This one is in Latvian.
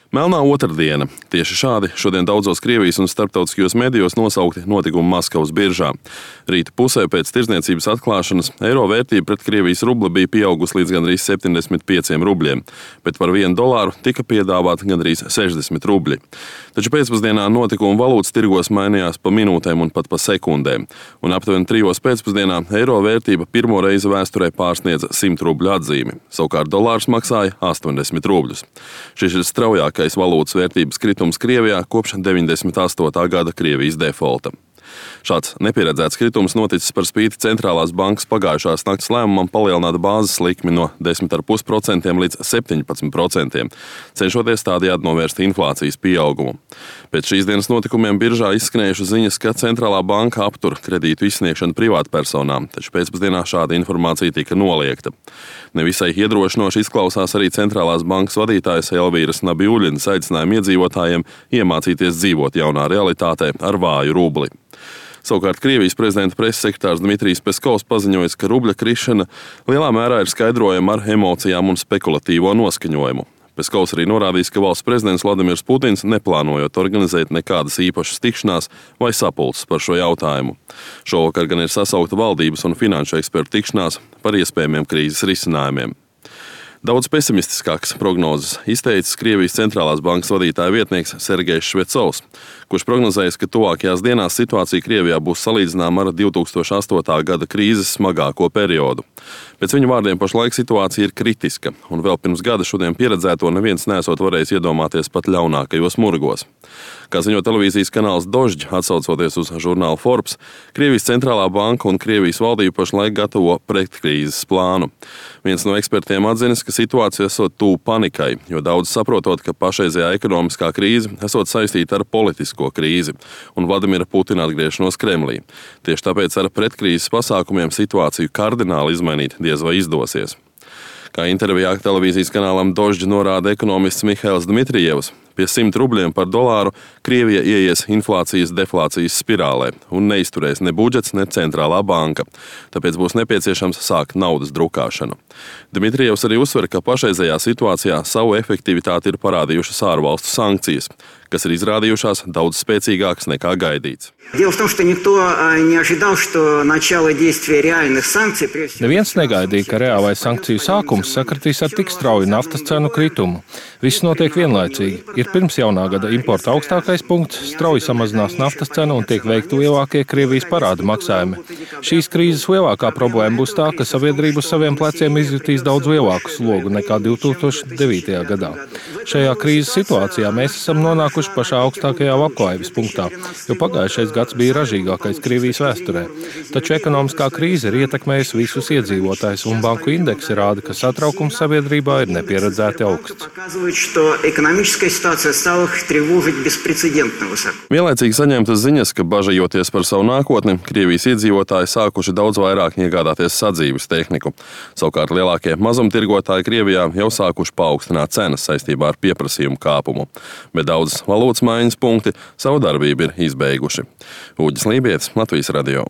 Melnā otrdiena. Tieši šādi šodien daudzos Krievijas un starptautiskajos medijos nosaukti notikumi Maskavas biržā. Rīta pusē pēc tirdzniecības atklāšanas eiro vērtība pret Krievijas rubli bija pieaugusi līdz gandrīz 75 rubļiem, bet par $1 tika piedāvāti gandrīz 60 rubļi. Taču pēcpusdienā notikumi valūtas tirgos mainījās pa minūtēm un pat pa sekundēm, un aptuveni 3 pēcpusdienā eiro vērtība pirmo reizi vēsturē pārsniedza 100 rubļu atzīmi. Savukārt dolārs maksāja 80 rubļus. Šis ir straujākais valūtas vērtības kritums Krievijā kopš 98. gada Krievijas defolta. Šāds nepieredzēts kritums noticis par spīti centrālās bankas pagājušās nakts lēmumam palielināt bāzes likmi no 10,5% līdz 17%, cenšoties tādējādi novērst inflācijas pieaugumu. Pēc šīs dienas notikumiem biržā izskanējušas ziņas, ka centrālā banka aptur kredītu izsniegšanu privātpersonām, taču pēcpusdienā šāda informācija tika noliegta. Nevisai iedrošinoši izklausās arī centrālās bankas vadītājas Elvīras Nabjuļinas aicinājumi iedzīvotājiem iemācīties dzīvot jaunā realitātē ar vāju rubli. Savukārt Krievijas prezidenta preses sekretārs Dmitrijs Peskovs paziņojis, ka rubļa krišana lielā mērā ir skaidrojama ar emocijām un spekulatīvo noskaņojumu. Peskovs arī norādījis, ka valsts prezidents Vladimirs Putins neplānojot organizēt nekādas īpašas tikšanās vai sapulces par šo jautājumu. Šovakar gan ir sasaukta valdības un finanšu ekspertu tikšanās par iespējamiem krīzes risinājumiem. Daudz pesimistiskākas prognozes izteicis Krievijas centrālās bankas vadītāja vietnieks Sergejs Švecovs, kurš prognozējis, ka tuvākajās dienās situācija Krievijā būs salīdzināma ar 2008. gada krīzes smagāko periodu. Pēc viņa vārdiem pašlaik situācija ir kritiska, un vēl pirms gada šodien pieredzēto neviens nesot varējis iedomāties pat ļaunākajos murgos. Kā ziņo televīzijas kanāls Dožd, atsaucoties uz žurnālu Forbes, Krievijas centrālā banka un Krievijas valdība pašlaik gatavo pretkrīzes plānu. Viens no ekspertiem atzinis, ka situācija esot tuvu panikai, jo daudz saprotot, ka pašreizējā ekonomiskā krīze esot saistīta ar politisko krīzi un Vladimira Putina atgriešanos Kremlī. Tieši tāpēc ar pretkrīzes pasākumiem situāciju kardināli izmainīt diez vai izdosies. Kā intervijā televīzijas kanālam Dožd norāda ekonomists Mihails Dmitrijevs, pie 100 rubļiem par dolāru Krievija ieies inflācijas-deflācijas spirālē un neizturēs ne budžets, ne centrālā banka. Tāpēc būs nepieciešams sākt naudas drukāšanu. Dmitrijevs arī uzsver, ka pašreizējā situācijā savu efektivitāti ir parādījušas ārvalstu sankcijas, kas ir izrādījušās daudz spēcīgākas nekā gaidīts. Neviens negaidīja, ka reālais sankciju sākums sakritīs ar tik strauju naftas cenu kritumu. Viss notiek vienlaicīgi. Ir pirms jaunā gada importa augstākais punkts, strauji samazinās naftas cena un tiek veikti lielākie Krievijas parāda maksājumi. Šīs krīzes lielākā problēma būs tā, ka sabiedrība uz saviem pleciem izjutīs daudz lielāku slogu nekā 2009. gadā. Šajā krīzes situācijā mēs esam nonākuši pašā augstākajā labklājības punktā, jo pagājušais gads bija ražīgākais Krievijas vēsturē. Taču ekonomiskā krīze ir ietekmējusi visus iedzīvotājus, un banku indeksi rāda, ka satraukums sabiedrībā ir nepieredzēti augsts. Vienlaicīgi saņemtas ziņas, ka bažajoties par savu nākotni, Krievijas iedzīvotāji sākuši daudz vairāk iegādāties sadzīves tehniku. Savukārt lielākie mazumtirgotāji Krievijā jau sākuši paaugstināt cenas saistībā ar pieprasījumu kāpumu, bet daudzas valūtas maiņas punkti savu darbību ir izbeiguši. Uģis Lībietis, Latvijas radio.